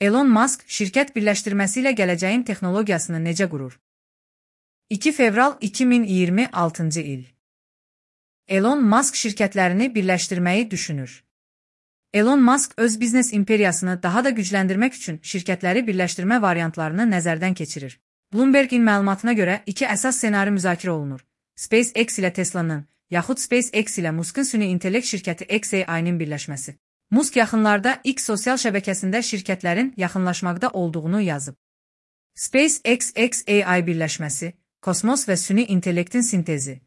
Elon Musk, şirkət birləşdirməsi ilə gələcəyin texnologiyasını necə qurur? 2 fevral 2026-cı il. Elon Musk şirkətlərini birləşdirməyi düşünür. Elon Musk öz biznes imperiyasını daha da gücləndirmək üçün şirkətləri birləşdirmə variantlarını nəzərdən keçirir. Bloomberg-in məlumatına görə iki əsas ssenari müzakirə olunur. SpaceX ilə Tesla'nın, yaxud SpaceX ilə Musk'ın süni intellekt şirkəti xAI-nin birləşməsi. Musk yaxınlarda X sosial şəbəkəsində şirkətlərin yaxınlaşmaqda olduğunu yazıb. SpaceX xAI birləşməsi, kosmos və süni intellektin sintezi.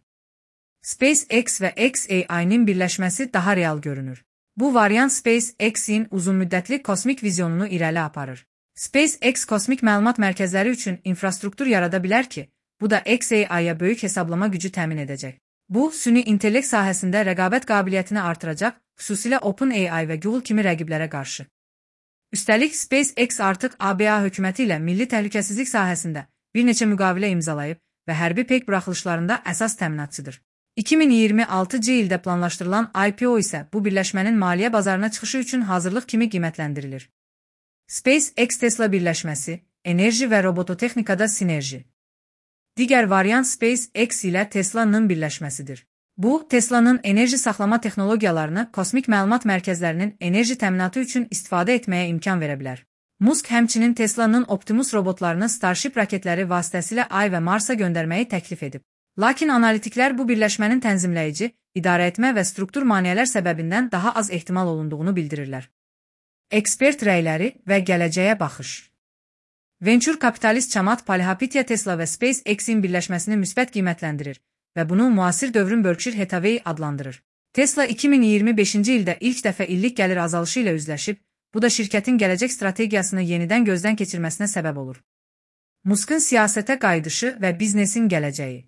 SpaceX və xAI-nin birləşməsi daha real görünür. Bu variant SpaceX-in uzunmüddətli kosmik vizyonunu irəli aparır. SpaceX kosmik məlumat mərkəzləri üçün infrastruktur yarada bilər ki, bu da xAI-ya böyük hesablama gücü təmin edəcək. Bu, süni intellekt sahəsində rəqabət qabiliyyətini artıracaq, xüsusilə OpenAI və Google kimi rəqiblərə qarşı. Üstəlik, SpaceX artıq ABA hökuməti ilə milli təhlükəsizlik sahəsində bir neçə müqavilə imzalayıb və hərbi peyk buraxılışlarında əsas təminatçıdır. 2026-cı ildə planlaşdırılan IPO isə bu birləşmənin maliyyə bazarına çıxışı üçün hazırlıq kimi qiymətləndirilir. SpaceX Tesla birləşməsi, enerji və robototexnikada sinerji. Digər variant SpaceX ilə Tesla'nın birləşməsidir. Bu, Tesla'nın enerji saxlama texnologiyalarını kosmik məlumat mərkəzlərinin enerji təminatı üçün istifadə etməyə imkan verə bilər. Musk həmçinin Tesla'nın Optimus robotlarını Starship raketləri vasitəsilə Ay və Marsa göndərməyi təklif edib. Lakin analitiklər bu birləşmənin tənzimləyici, idarəetmə və struktur maneələr səbəbindən daha az ehtimal olunduğunu bildirirlər. Ekspert rəyləri və gələcəyə baxış. Venture kapitalist Chamath Palihapitiya Tesla və SpaceX-in birləşməsini müsbət qiymətləndirir və bunu müasir dövrün Berkshire Hathaway adlandırır. Tesla 2025-ci ildə ilk dəfə illik gəlir azalışı ilə üzləşib, bu da şirkətin gələcək strategiyasını yenidən gözdən keçirməsinə səbəb olur. Musk'ın siyasətə qayıdışı və biznesin gələcəyi.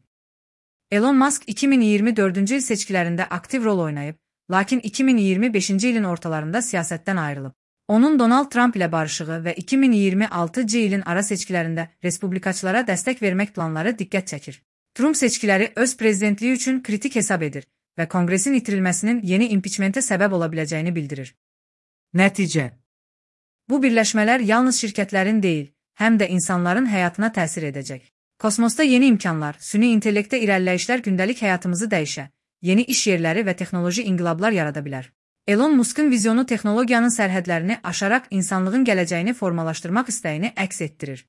Elon Musk 2024-cü il seçkilərində aktiv rol oynayıb, lakin 2025-ci ilin ortalarında siyasətdən ayrılıb. Onun Donald Trump ilə barışığı və 2026-cı ilin ara seçkilərində respublikaçılara dəstək vermək planları diqqət çəkir. Trump seçkiləri öz prezidentliyi üçün kritik hesab edir və Konqresin itirilməsinin yeni impiçmentə səbəb ola biləcəyini bildirir. Nəticə. Bu birləşmələr yalnız şirkətlərin deyil, həm də insanların həyatına təsir edəcək. Kosmosda yeni imkanlar, süni intellektdə irəliləyişlər gündəlik həyatımızı dəyişə, yeni iş yerləri və texnoloji inqilablar yarada bilər. Elon Musk'ın vizyonu texnologiyanın sərhədlərini aşaraq insanlığın gələcəyini formalaşdırmaq istəyini əks etdirir.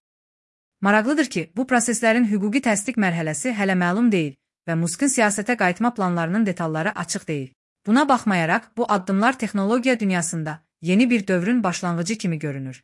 Maraqlıdır ki, bu proseslərin hüquqi təsdiq mərhələsi hələ məlum deyil və Musk'ın siyasətə qayıtma planlarının detalları açıq deyil. Buna baxmayaraq, bu addımlar texnologiya dünyasında yeni bir dövrün başlanğıcı kimi görünür.